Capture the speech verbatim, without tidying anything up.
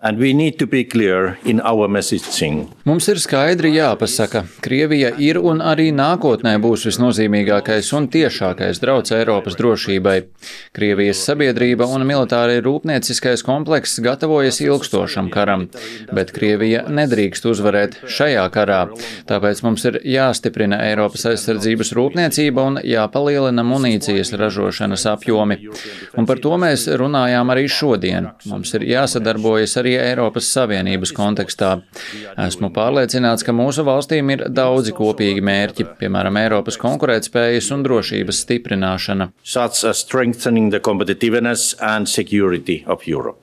And we need to be clear in our messaging. Mums ir skaidri jāpasaka, Krievija ir un arī nākotnē būs visnozīmīgākais un tiešākais drauds Eiropas drošībai. Krievijas sabiedrība un militāri rūpnieciskais komplekss gatavojas ilgstošam karam, bet Krievija nedrīkst uzvarēt šajā karā. Tāpēc mums ir jāstiprina Eiropas aizsardzības rūpniecība un jāpalielina munīcijas ražošanas apjomi. Un par to mēs runājām arī šodien. Mums ir jāsadarbojas arī Eiropas Savienības kontekstā. Esmu pārliecināts, ka mūsu valstīm ir daudzi kopīgi mērķi, piemēram, Eiropas konkurētspējas un drošības stiprināšana. Such as strengthening the competitiveness and security of Europe.